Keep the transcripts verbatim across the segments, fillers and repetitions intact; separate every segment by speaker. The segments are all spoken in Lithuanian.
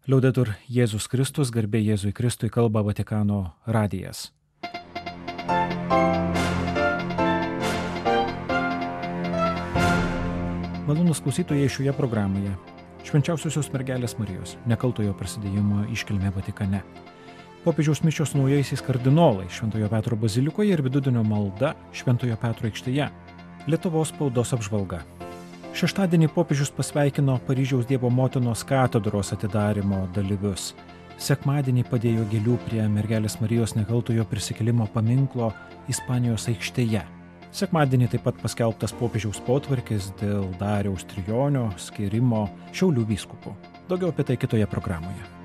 Speaker 1: Liaudetur Jėzus Kristus, garbė Jėzui Kristui, kalba Vatikano radijas. Malonūs klausytojai, šioje programoje Švenčiausiosios mergelės Marijos nekaltojo prasidėjimo iškilmė Vatikane. Popiežiaus mišios naujaisiais kardinolai Šventojo Petro bazilikoje ir vidudienio malda Šventojo Petro aikštėje. Lietuvos spaudos apžvalga. Šeštadienį popiežius pasveikino Paryžiaus Dievo motinos katedros atidarymo dalyvius. Sekmadienį padėjo gėlių prie mergelės Marijos nekaltojo prisikėlimo paminklo Ispanijos aikštėje. Sekmadienį taip pat paskelbtas popiežiaus potvarkis dėl Dariaus Trijonio skyrimo Šiaulių vyskupu. Daugiau apie tai kitoje programoje.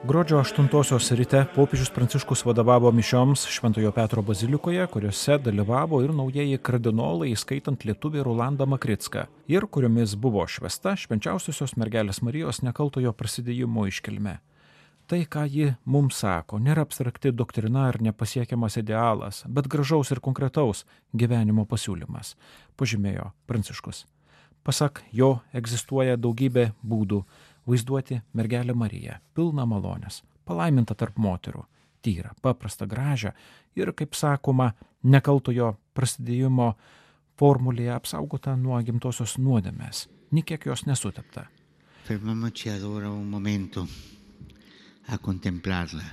Speaker 1: Gruodžio aštuntosios ryte popiežius Pranciškus vadovavo mišioms Šventojo Petro bazilikoje, kuriuose dalyvavo ir naujieji kardinolai, įskaitant lietuvį Rolandą Makricką, ir kuriomis buvo švęsta Švenčiausiosios mergelės Marijos nekaltojo prasidėjimo iškilmė. Tai, ką ji mums sako, nėra abstrakti doktrina ar nepasiekiamas idealas, bet gražaus ir konkretaus gyvenimo pasiūlymas, pažymėjo Pranciškus. Pasak jo, egzistuoja daugybė būdų vaizduoti mergelę Mariją, pilną malonės, palaimintą tarp moterų, tyrą, paprastą, gražią ir, kaip sakoma, nekaltojo prasidėjimo formulėje apsaugotą nuo gimtosios nuodėmės, nė kiek jos nesutepta.
Speaker 2: Fermiamoci allora un momento a contemplarla.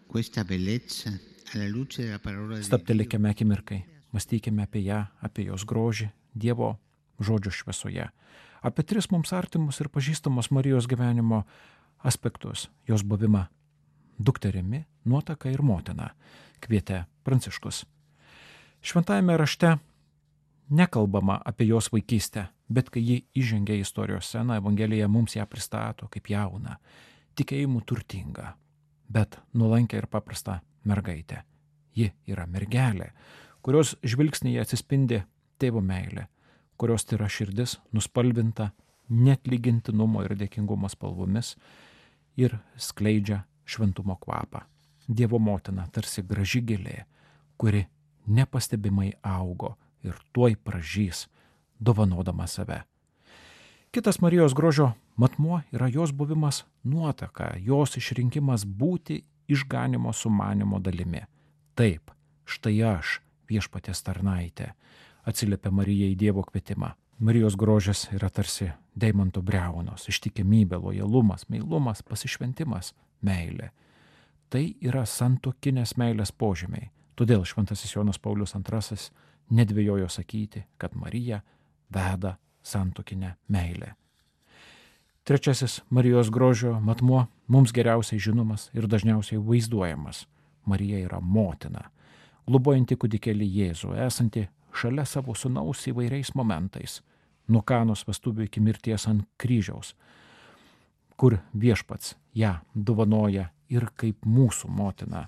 Speaker 2: Questa bellezza alla luce della parola di Dio.
Speaker 1: Stabtelėkime akimirkai, mąstykime apie ją, apie jos grožį, Dievo žodžio šviesoje, apie tris mums artimus ir pažįstamos Marijos gyvenimo aspektus, jos buvimą dukterimi, nuotaka ir motina, kvietė Pranciškus. Šventajame rašte nekalbama apie jos vaikystę, bet kai ji įžengia į istorijos sceną, Evangelija mums ją pristato kaip jauną, tikėjimu turtingą, bet nuolankę ir paprastą mergaitę. Ji yra mergelė, kurios žvilgsnyje atsispindi tėvo meilė, kurios tyra širdis nuspalvinta neatlygintinumo ir dėkingumo spalvomis ir skleidžia šventumo kvapą. Dievo motina tarsi graži gėlė, kuri nepastebimai augo ir tuoj pražys, dovanodama save. Kitas Marijos grožio matmuo yra jos buvimas nuotaka, jos išrinkimas būti išganimo sumanimo dalimi. Taip, štai aš, viešpaties tarnaitė, atsiliepia Marija į Dievo kvietimą. Marijos grožis yra tarsi deimanto briaunos, ištikimybė, lojalumas, meilumas, pasišventimas, meilė. Tai yra santuokinės meilės požymiai. Todėl šventasis Jonas Paulius antrasis nedvejojo sakyti, kad Marija veda santuokinę meilę. Trečiasis Marijos grožio matmuo mums geriausiai žinomas ir dažniausiai vaizduojamas. Marija yra motina, globojanti kūdikėlį Jėzų, esanti šalia savo sūnaus įvairiais momentais, nuo Kanos vestuvių iki mirties ant kryžiaus, kur viešpats ją dovanoja ir kaip mūsų motina,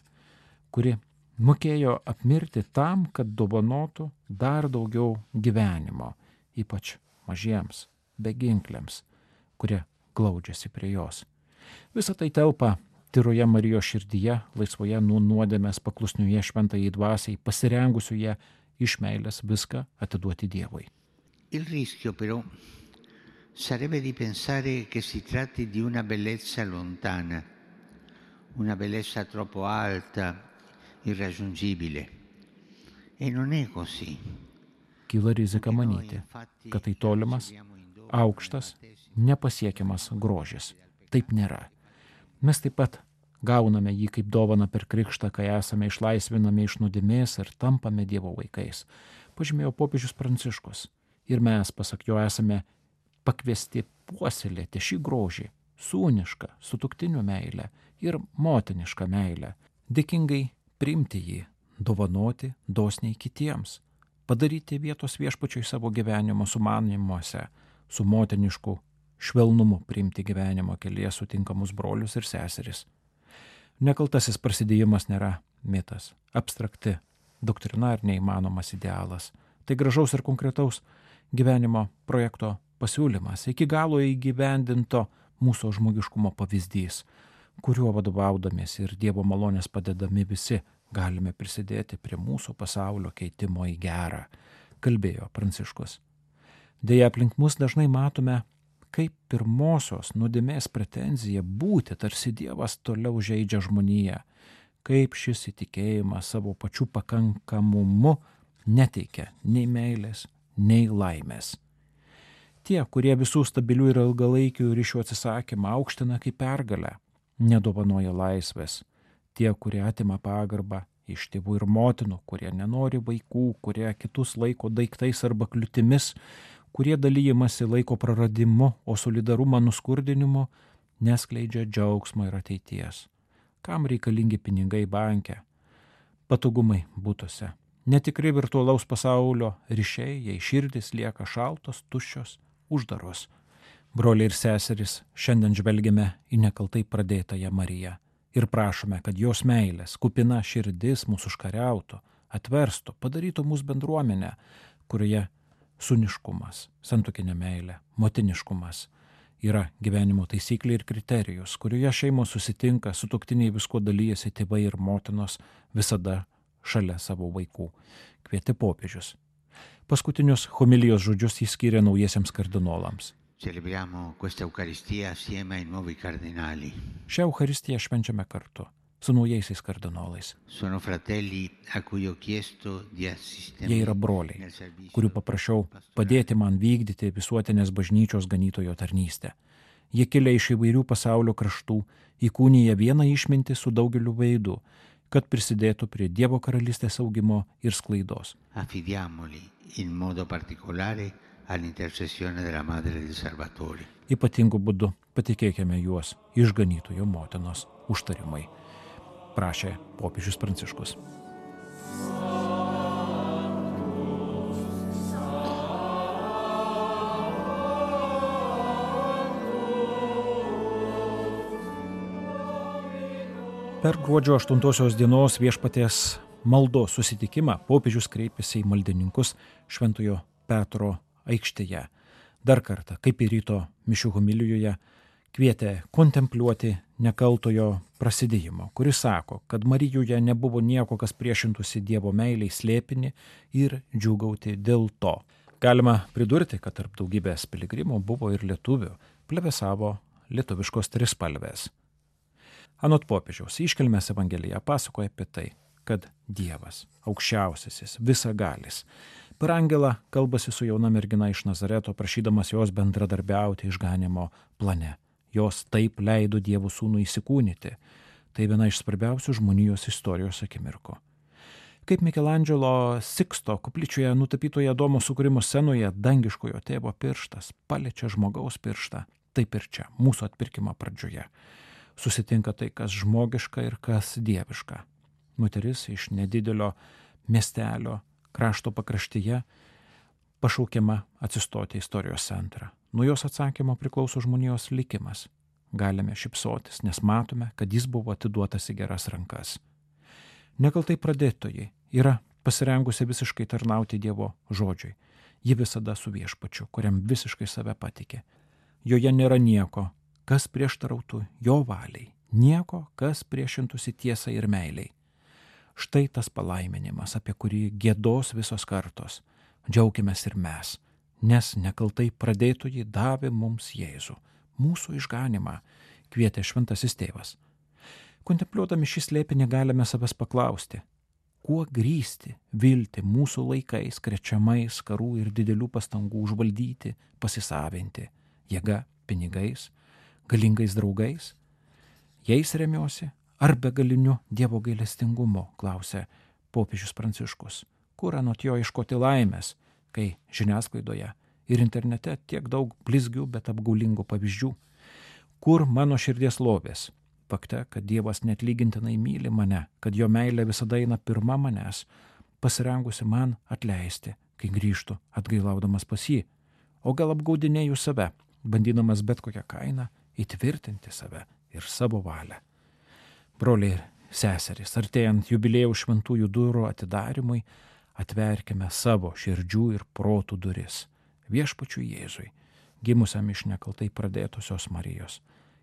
Speaker 1: kuri mokėjo apmirti tam, kad dovanotų dar daugiau gyvenimo, ypač mažiems, beginkliams, kurie glaudžiasi prie jos. Visa tai telpa tyroje Marijos širdyje, laisvoje nuo nuodėmės paklusnioje šventajai dvasiai, pasirengusioje iš meilės viską atiduoti Dievui.
Speaker 2: Il rischio però sarebbe di pensare che si tratti di una bellezza lontana, una bellezza troppo alta, irraggiungibile. E non è così.
Speaker 1: Kyla rizika manyti, kad tai tolimas, aukštas, nepasiekiamas grožis. Taip nėra. Mes taip pat gauname jį kaip dovaną per krikštą, kai esame išlaisvinami iš nuodėmės ir tampame Dievo vaikais, pažymėjo popiežius Pranciškus. Ir mes, pasak jo, esame pakviesti puoselėti šį grožį, sūnišką, sutuktinių meilę ir motinišką meilę, dėkingai priimti jį, dovanoti dosniai kitiems, padaryti vietos viešpačiui savo gyvenimo sumanymuose, su motinišku švelnumu priimti gyvenimo kelyje sutinkamus brolius ir seseris. Nekaltasis prasidėjimas nėra mitas, abstrakti, doktrina ar neįmanomas idealas. Tai gražaus ir konkretaus gyvenimo projekto pasiūlymas, iki galo įgyvendinto mūsų žmogiškumo pavyzdys, kuriuo vadovaudamės ir Dievo malonės padedami visi galime prisidėti prie mūsų pasaulio keitimo į gerą, kalbėjo Pranciškus. Deja, aplink mus dažnai matome, kaip pirmosios nuodėmės pretenzija būti tarsi Dievas toliau žeidžia žmoniją, kaip šis įtikėjimas savo pačių pakankamumu neteikia nei meilės, nei laimės. Tie, kurie visų stabilių ir ilgalaikių ryšių atsisakymą aukština kaip pergalę, nedovanoja laisvės. Tie, kurie atima pagarbą iš tėvų ir motinų, kurie nenori vaikų, kurie kitus laiko daiktais arba kliūtimis, kurie dalyjimasi laiko praradimu, o solidarumą nuskurdinimu, neskleidžia džiaugsmo ir ateities. Kam reikalingi pinigai banke, patogumai būtuose, netikri virtualaus pasaulio ryšiai, jei širdis lieka šaltos, tuščios, uždaros. Broliai ir seserys, šiandien žvelgiame į nekaltai pradėtąją Mariją ir prašome, kad jos meilės, kupina širdis mūsų užkariautų, atverstų, padarytų mūsų bendruomenę, kurioje sūniškumas, santuokinė meilė, motiniškumas yra gyvenimo taisyklė ir kriterijus, kurioje šeimos susitinka, sutuoktiniai visko dalyjasi, tėvai ir motinos visada šalia savo vaikų, kvietė popiežius. Paskutinius homilijos žodžius jis skyrė naujiesiems kardinolams.
Speaker 2: Celebriamo questa Eucaristia assieme ai nuovi cardinali.
Speaker 1: Šią Eucharistiją švenčiame kartu su naujaisiais kardinolais.
Speaker 2: Sono fratelli a cui ho chiesto di assistermi.
Speaker 1: Jie yra broliai, kurių paprašiau padėti man vykdyti visuotinės bažnyčios ganytojo tarnystę. Jie kilę iš įvairių pasaulio kraštų, įkūnija vieną išmintį su daugeliu veidų, kad prisidėtų prie Dievo karalystės augimo ir sklaidos.
Speaker 2: Affidiamoli in modo particolare all'intercessione della Madre del Salvatore.
Speaker 1: Ypatingu būdu patikėkime juos išganytojo motinos užtarimai, prašė popiežius Pranciškus. Per gruodžio aštuntosios dienos viešpaties maldos susitikimą popiežius kreipėsi į maldininkus Šventojo Petro aikštėje. Dar kartą, kaip ir ryto mišių homilijoje, kvietė kontempliuoti nekaltojo prasidėjimo, kuris sako, kad Marijoje nebuvo nieko, kas priešintųsi Dievo meiliai slėpinį ir džiūgauti dėl to. Galima pridurti, kad tarp daugybės piligrimų buvo ir lietuvių, plevėsavo lietuviškos trispalvės. Anot popiežiaus, iškilmės Evangelija pasakoja apie tai, kad Dievas, aukščiausiasis, visagalis, per angelą kalbasi su jauna mergina iš Nazareto, prašydamas jos bendradarbiauti išganimo plane. Jos taip leido Dievo sūnų įsikūnyti. Tai viena iš svarbiausių žmonijos istorijos akimirkų. Kaip Mikelandželo Siksto koplyčioje nutapytoje Adomo sukūrimo scenoje dangiškojo tėvo pirštas paliečia žmogaus pirštą, taip ir čia, mūsų atpirkimo pradžioje. Susitinka tai, kas žmogiška ir kas dieviška. Moteris iš nedidelio miestelio krašto pakraštyje pašaukiama atsistoti į istorijos centrą. Nuo jos atsakymo priklauso žmonijos likimas. Galime šypsotis, nes matome, kad jis buvo atiduotas į geras rankas. Nekaltai pradėtojai yra pasirengusi visiškai tarnauti Dievo žodžiui. Ji visada su viešpačiu, kuriam visiškai save patikė. Joje nėra nieko, kas prieštarautų jo valiai, nieko, kas priešintųsi tiesai ir meiliai. Štai tas palaiminimas, apie kurį giedos visos kartos. Džiaukimės ir mes, nes nekaltai pradėtojai davė mums Jėzų, mūsų išganimą, kvietė šventasis tėvas. Kontempliuodami šį slėpinį galime savęs paklausti, kuo grįsti viltį mūsų laikais krečiamais karų ir didelių pastangų užvaldyti, pasisavinti, jėga, pinigais, galingais draugais? Jais remiuosi ar begaliniu Dievo gailestingumu, klausė popiežius Pranciškus. Kur anot jo ieškoti laimės, kai žiniasklaidoje ir internete tiek daug blizgių, bet apgaulingų pavyzdžių? Kur mano širdies lobės? Fakte, kad Dievas neatlygintinai myli mane, kad jo meilė visada eina pirma manęs, pasirengusi man atleisti, kai grįžtu atgailaudamas pas jį. O gal apgaudinėju save, bandydamas bet kokią kainą įtvirtinti save ir savo valią. Broliai ir seserys, artėjant jubiliejaus šventųjų durų atidarimui, atverkime savo širdžių ir protų duris. viešpačiui Jėzui, gimusiam iš nekaltai pradėtusios Marijos,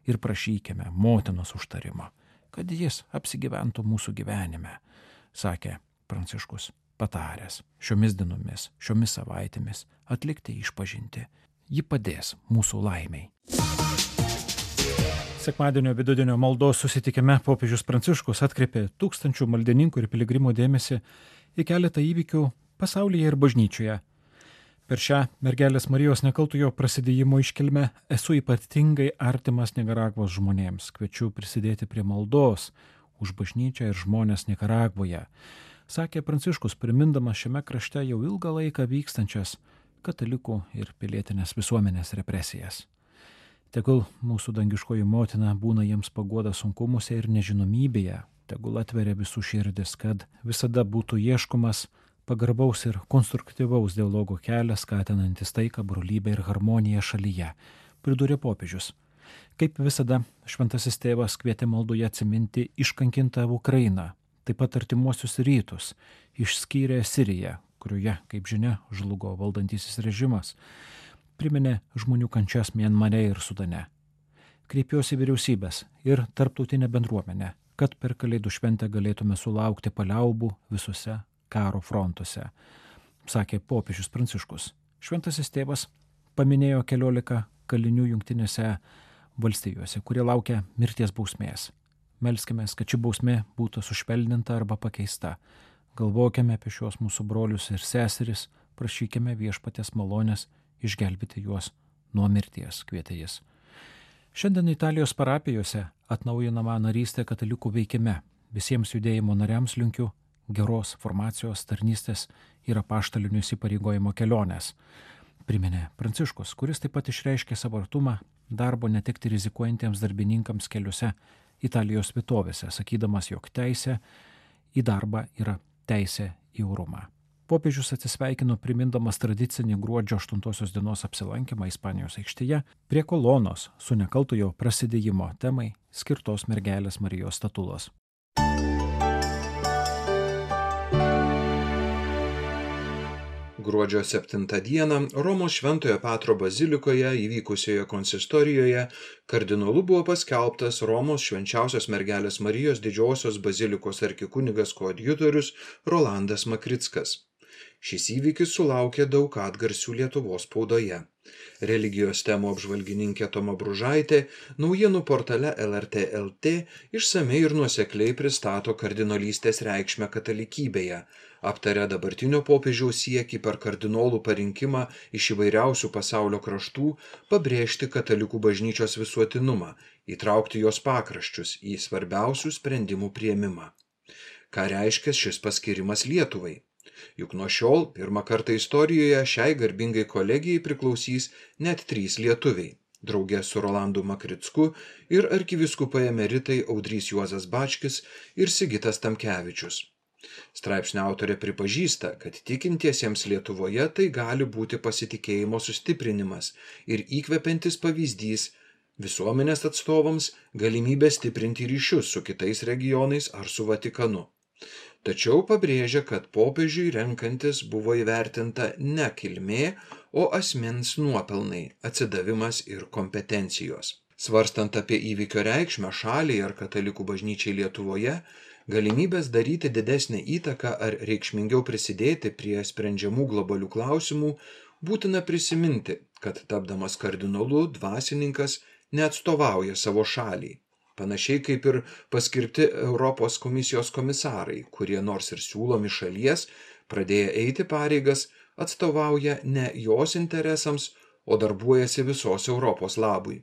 Speaker 1: ir prašykime motinos užtarimo, kad jis apsigyventų mūsų gyvenime, sakė Pranciškus, pataręs šiomis dienomis, šiomis savaitėmis atlikti išpažinti. Ji padės mūsų laimiai. Sekmadienio vidudienio maldos susitikime popiežius Pranciškus atkreipė tūkstančių maldininkų ir piligrimų dėmesį į keletą įvykių pasaulyje ir bažnyčioje. Per šią mergelės Marijos nekaltojo prasidėjimo iškilmę esu ypatingai artimas Nikaragvos žmonėms. Kviečiu prisidėti prie maldos už bažnyčią ir žmonės Nikaragvoje, sakė Pranciškus, primindamas šiame krašte jau ilgą laiką vykstančias katalikų ir pilietinės visuomenės represijas. Tegul mūsų dangiškoji motina būna jiems paguoda sunkumuose ir nežinomybėje, tegul atveria visų širdis, kad visada būtų ieškomas pagarbaus ir konstruktyvaus dialogo kelias, skatinantis taiką, brolybę ir harmoniją šalyje, pridūrė popiežius. Kaip visada, šventasis tėvas kvietė maldoje atsiminti iškankintą Ukrainą, taip pat artimuosius rytus, išskyrė Siriją, kurioje, kaip žinia, žlugo valdantysis režimas, priminė žmonių kančias Mianmare ir Sudane. Kreipiuosi vyriausybės ir tarptautinę bendruomenę, kad per Kalėdų šventę galėtume sulaukti paliaubų visose karo frontuose, sakė popiežius Pranciškus. Šventasis tėvas paminėjo keliolika kalinių Jungtinėse valstijose, kurie laukia mirties bausmės. Melskimės, kad ši bausmė būtų sušvelninta arba pakeista. Galvokime apie šios mūsų brolius ir seseris, prašykime viešpaties malonės išgelbėti juos nuo mirties, kvietė jis. Šiandien Italijos parapijose atnaujinama narystė katalikų veikime. Visiems judėjimo nariams linkiu geros formacijos, tarnystės ir apaštalinių įsipareigojimo kelionės, priminė Pranciškus, kuris taip pat išreiškė savo artumą darbo netekti rizikuojantiems darbininkams keliose Italijos vietovėse, sakydamas, jog teisė į darbą yra teisė į orumą. Popiežius atsisveikino primindamas tradicinį gruodžio aštuntosios dienos apsilankymą Ispanijos aikštėje prie kolonos su nekaltojo prasidėjimo temai skirtos mergelės Marijos statulos.
Speaker 3: Gruodžio septintą dieną Romos Šventojo Petro bazilikoje įvykusioje konsistorijoje kardinolu buvo paskelbtas Romos švenčiausios mergelės Marijos didžiosios bazilikos arkikunigas koadjutorius Rolandas Makrickas. Šis įvykis sulaukė daug atgarsių Lietuvos spaudoje. Religijos temų apžvalgininkė Toma Bružaitė naujienų portale L R T L T išsamei ir nuosekliai pristato kardinolystės reikšmę katalikybėje, aptarė dabartinio popiežiaus siekį per kardinolų parinkimą iš įvairiausių pasaulio kraštų pabrėžti katalikų bažnyčios visuotinumą, įtraukti jos pakraščius į svarbiausių sprendimų priėmimą. Ką reiškia šis paskirimas Lietuvai? Juk nuo šiol pirmą kartą istorijoje šiai garbingai kolegijai priklausys net trys lietuviai, draugė su Rolandu Makricku ir arkivyskupai emeritai Audrys Juozas Bačkis ir Sigitas Tamkevičius. Straipsnio autorė pripažįsta, kad tikintiesiems Lietuvoje tai gali būti pasitikėjimo sustiprinimas ir įkvepiantis pavyzdys visuomenės atstovams galimybę stiprinti ryšius su kitais regionais ar su Vatikanu. Tačiau pabrėžia, kad popiežiui renkantis buvo įvertinta ne kilmė, o asmens nuopelnai, atsidavimas ir kompetencijos. Svarstant apie įvykio reikšmę šaliai ar katalikų bažnyčiai Lietuvoje, galimybės daryti didesnę įtaką ar reikšmingiau prisidėti prie sprendžiamų globalių klausimų, būtina prisiminti, kad tapdamas kardinolu dvasininkas neatstovauja savo šaliai. Panašiai kaip ir paskirti Europos komisijos komisarai, kurie nors ir siūlomi šalies, pradėję eiti pareigas, atstovauja ne jos interesams, o darbuojasi visos Europos labui.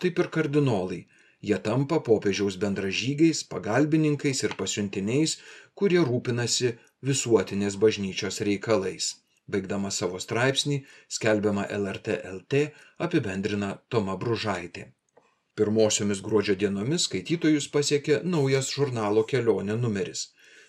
Speaker 3: Taip ir kardinolai. Jie tampa popiežiaus bendražygiais, pagalbininkais ir pasiuntiniais, kurie rūpinasi visuotinės bažnyčios reikalais. Baigdama savo straipsnį, skelbiama L R T L T, apibendrina Toma Bružaitė. Pirmosiomis gruodžio dienomis skaitytojus pasiekė naujas žurnalo Kelionė numeris.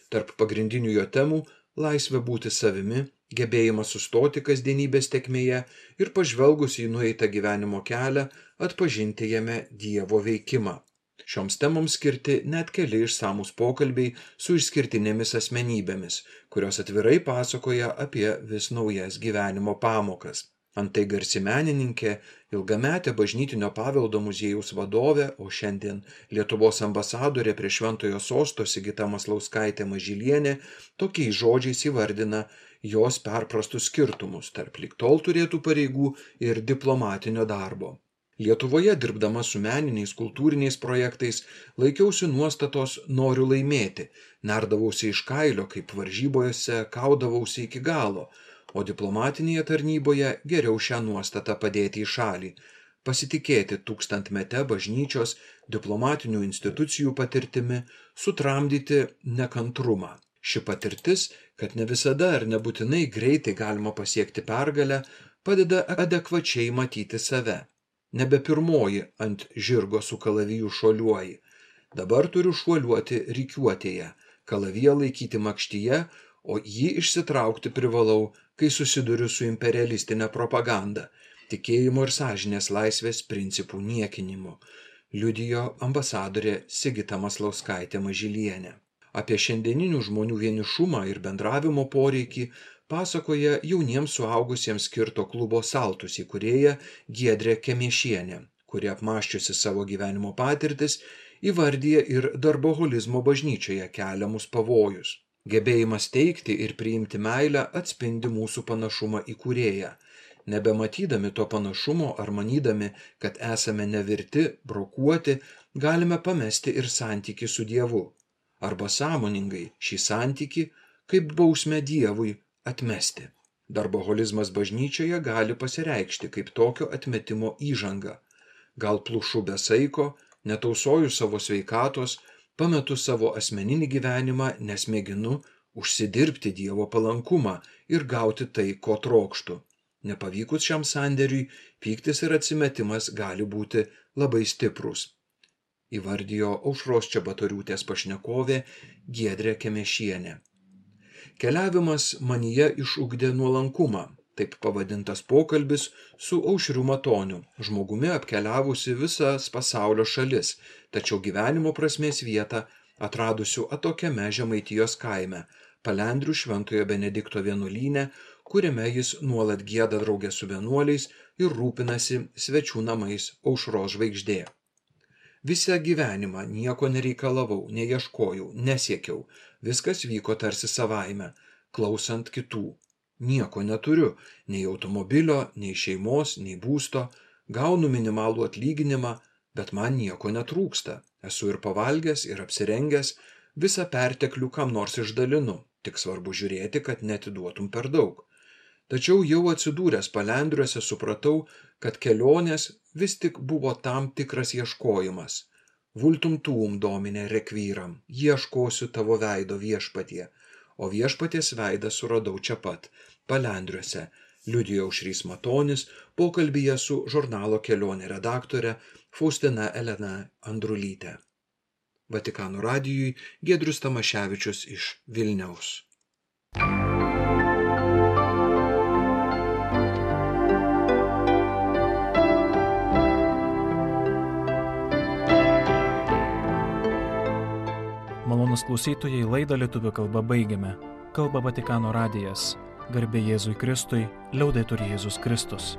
Speaker 3: Tarp pagrindinių jo temų – laisvė būti savimi, gebėjimas sustoti kasdienybės tėkmėje ir pažvelgus į nueitą gyvenimo kelią, atpažinti jame Dievo veikimą. Šioms temoms skirti net keli išsamūs pokalbiai su išskirtinėmis asmenybėmis, kurios atvirai pasakoja apie vis naujas gyvenimo pamokas. Antai garsi menininkė, ilgametė bažnytinio paveldo muziejaus vadovė, o šiandien Lietuvos ambasadorė prie Šventojo sosto Sigita Maslauskaitė Mažylienė tokiais žodžiais įvardina jos perprastus skirtumus tarp lig tol turėtų pareigų ir diplomatinio darbo. Lietuvoje dirbdama su meniniais kultūriniais projektais laikiausi nuostatos noriu laimėti, nerdavausi iš kailio, kaip varžybose kaudavausi iki galo, o diplomatinėje tarnyboje geriau šią nuostatą padėti į šalį, pasitikėti tūkstantmete bažnyčios diplomatinių institucijų patirtimi, sutramdyti nekantrumą. Ši patirtis, kad ne visada ar nebūtinai greitai galima pasiekti pergalę, padeda adekvačiai matyti save. Nebe pirmoji ant žirgo su kalaviju šuoliuoji. Dabar turiu šuoliuoti rikiuotėje, kalaviją laikyti makštyje, o jį išsitraukti privalau, kai susiduriu su imperialistinė propaganda, tikėjimo ir sąžinės laisvės principų niekinimu, liudijo ambasadorė Sigita Maslauskaitė Mažylienė. Apie šiandieninių žmonių vienišumą ir bendravimo poreikį pasakoja jauniems suaugusiems skirto klubo Saltus įkūrėja Giedrė Kemėšienė, kuri apmąsčiusi savo gyvenimo patirtis įvardyja ir darboholizmo bažnyčioje keliamus pavojus. Gebėjimas teikti ir priimti meilę atspindi mūsų panašumą į kūrėją. Nebematydami to panašumo ar manydami, kad esame nevirti, brokuoti, galime pamesti ir santykį su Dievu. Arba sąmoningai šį santykį, kaip bausmę Dievui, atmesti. Darboholizmas bažnyčioje gali pasireikšti kaip tokio atmetimo įžanga. Gal plušu be saiko, netausoju savo sveikatos, pametu savo asmeninį gyvenimą, nes mėginu užsidirbti Dievo palankumą ir gauti tai, ko trokštu. Nepavykus šiam sandėriui, pyktis ir atsimetimas gali būti labai stiprus, įvardijo Aušros Čebatoriūtės pašnekovė Giedrė Kemėšienė. Keliavimas manyje išugdė nuolankumą, taip pavadintas pokalbis su Aušriu Matoniu, žmogumi apkeliavusi visas pasaulio šalis, tačiau gyvenimo prasmės vietą atradusių atokiame Žemaitijos kaime, Palendrių Šventojo Benedikto vienuolyne, kuriame jis nuolat gieda drauge su vienuoliais ir rūpinasi svečių namais Aušros žvaigždė. Visą gyvenimą nieko nereikalavau, neieškojau, nesiekiau, viskas vyko tarsi savaime, klausant kitų. Nieko neturiu, nei automobilio, nei šeimos, nei būsto, gaunu minimalų atlyginimą, bet man nieko netrūksta. Esu ir pavalgęs, ir apsirengęs, visą perteklių kam nors išdalinu, tik svarbu žiūrėti, kad neatiduotum per daug. Tačiau jau atsidūręs Palendriuose supratau, kad kelionės vis tik buvo tam tikras ieškojimas. Vultum tuum domine rekvyram, ieškosiu tavo veido viešpatie, o viešpaties veidą suradau čia pat, Palendriuose, liudijo Aušrys Matonis pokalbyje su žurnalo Kelionė redaktore Faustina Elena Andrulytė. Vatikano radijui Giedrius Tamaševičius iš Vilniaus.
Speaker 1: Malonūs klausytojai, laidą lietuvių kalba baigiame. Kalba Vatikano radijas. Garbė Jėzui Kristui, liaudetur Jėzus Kristus.